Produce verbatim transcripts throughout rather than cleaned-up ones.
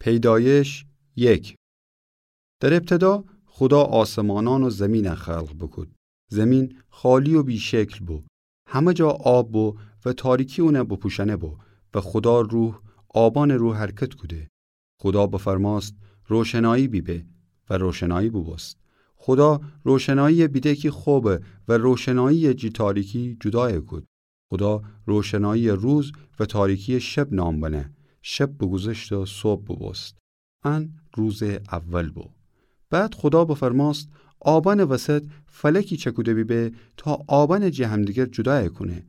پیدایش یک. در ابتدا خودا آسمانان و زمین خلق بوکود. زمین خالی و بی‌شکل بو. همه جا آب بو و تاریکی اونه بپوشأنه بو و خودا روح آبأنٚ رو حرکت کوده. خودا بفرمأست: روشنایی بیبه، و روشنایی بوبوست. خودا روشنایی بیده کی خوبه و روشنایی جی تاریکی جودای کود. خودا روشنایی روز و تاریکی شب نام بنه. شب بوگوذشت و صبح بوبوست. ان روزٚ اول بو. بعد خودا بفرمأست: آبأنٚ وسط فلکی چکوده بیبه تا آبأن جی همدیگر جودای کونه.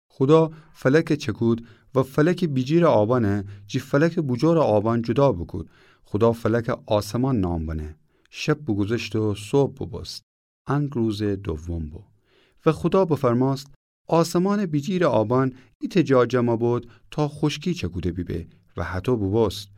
خودا فلک چکود و فلک بیجیر آبأن جی فلک بوجور آبأن جودا بوکود. خودا فلک آسمان نام بنه. شب بوگوذشت و صبح بوبوست. ان روزٚ دوم بو. و خودا بفرمأست: آسمانٚ بیجیر آبأن ایتأ جا جمع بود تا خوشکی چکوده بیبه، و هطو بوبوست.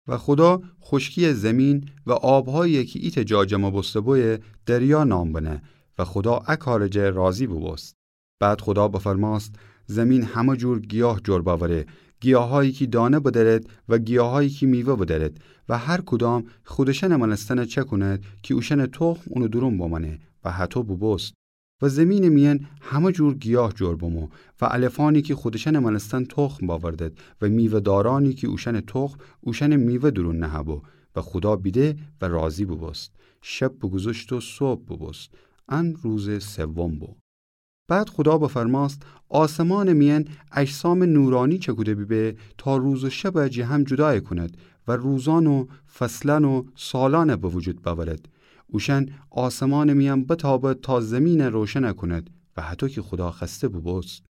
و خودا خوشکیی زمین و آبهایی کی ایتأ جا جمع بوسته بویه دریا نام بنه، و خودا ا کارٚ جه راضی بوبوست. بعد خودا بفرمأست: زمین همه جور گیاه جور بأوره، گیاهایی کی دانه بدرد و گیاهایی کی میوه بدرد، و هر کدام خودشأنٚ مأنستن چکوند کی اوشأنٚ تخم اونٚ دورون بمأنه، و هطو بوبوست. و زمینٚ میأن همه جور گیاه جور بمو، و علفأنی کی خودشأنٚ مأنستن تخم بأوردد، و میوه‌دارأنی کی اوشأنٚ تخم اوشأنٚ میوه دورون نهه‌بو، و خودا بیده و راضی بوبوست. شب بوگوذشت و صبح بوبوست. ان روزٚ سوم بو. بعد خودا بفرمأست: آسمانٚ میأن اجسامٚ نورانی چکوده بیبه تا روز و شب جی هم جودای کونید و روزأن و فصلأن و سالأن به وجود بأورید. اوشأن آسمانٚ میأن بتابید تا زمین روشن کونید و هطو کی خودا خوأسته بوبوست.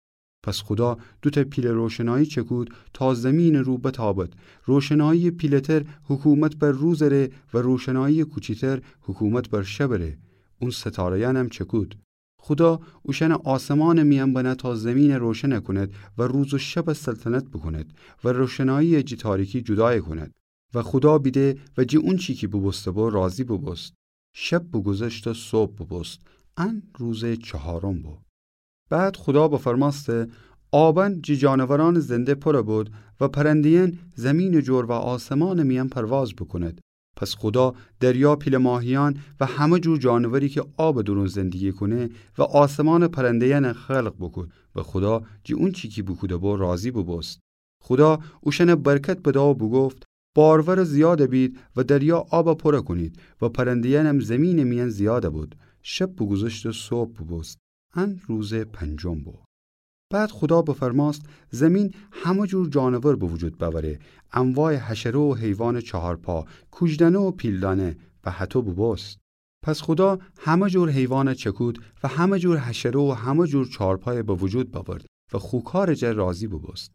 پس خودا دوتأ پیله روشنایی چکود تا زمینٚ رو بتابید. روشنایی پیله‌تر حکومت بر روز ره و روشنایی کوچیتر حکومت بر شب ره. اون ستاره‌یأنم چکود. خودا اوشأن آسمانٚ میأن بنه تا زمین روشن کونید و روز و شب سلطنت بوکونید و روشنایی جی تاریکی جودای کونید. و خودا بیده و جی اونچی کی بوبوسته بو راضی بوبوست. شب بوگوذشت و صبح بوبوست. ان روزٚ چهارم بو. بعد خودا بفرمأسته: آبأن جی جانورأنٚ زنده پوره بود و پرنده‌یأن زمینٚ جور و آسمانٚ میأن پرواز بوکونید. پس خودا دریا پیله ماهیأن و همه جور جانوری کی آبٚ دورون زندگی کونه و آسمانٚ پرنده‌یأن خلق بوکود و خودا جی اونچی کی بوکوده بو راضی بوبوست. خودا اوشأن برکت بده و بوگفت: بارور و زیاد بید و دریا آب پوره کونید و پرنده‌یأنم زمینٚ میأن زیاد بود. شب بوگوذشت و صبح بوبوست. ان روزٚ پنجم بو. بعد خودا بفرمأست: زمین همه جور جانور به وجود بأوره، انواع حشره و حیوانٚ چهارپا، کوجدأنه و پیلدأنه، و هطو بوبوست. پس خودا همه جور حیوان چکود و همه جور حشره و همه جور چهارپای به وجود بأورد و خو کارٚ جه راضی بوبوست.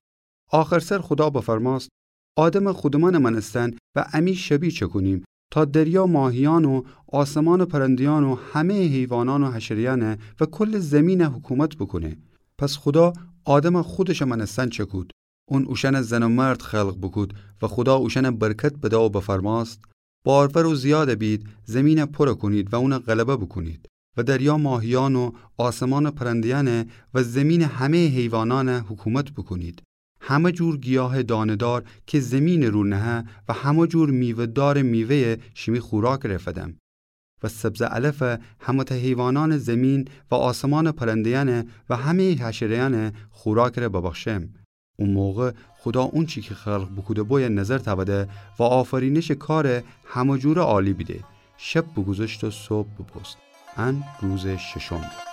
آخر سر خودا بفرمأست: آدم خودمأنٚ مأنستن و امی شبیه چکونیم تا دریا ماهیأن و آسمانٚ پرنده‌یأن و همه‌یٚ حیوانأن و حشره‌یأن و کلٚ زمین حکومت بوکونه. پس خودا آدم خودشٚ مأنستن چکود. اون اوشأن زن و مرد خلق بوکود و خودا اوشأن برکت بده و بفرمأست: بارور و زیاد بید، زمین پوره کونید و اون غلبه بوکونید و دریا ماهیأن و آسمانٚ پرنده‌یأن و زمینٚ همه‌یٚ حیوانأن حکومت بوکونید. همه جور گیاه دانه‌دار کی زمینٚ رو نهه و همه جور میوه‌دارٚ میوه‌یه شیمی خوراکٚ ره فدم. و سبزٚ علف همه‌تأ حیوانأنٚ زمین و آسمانٚ پرنده‌یأن و همه‌یٚ حشره‌یأن خوراکٚ ره ببخشم. او موقع خودا اونچی کی خلق بوکوده بویه نظر تأوده و آفرینشٚ کار همه جوره عالی بیده. شب بوگوذشت و صبح بوبوست. ان روزٚ ششم.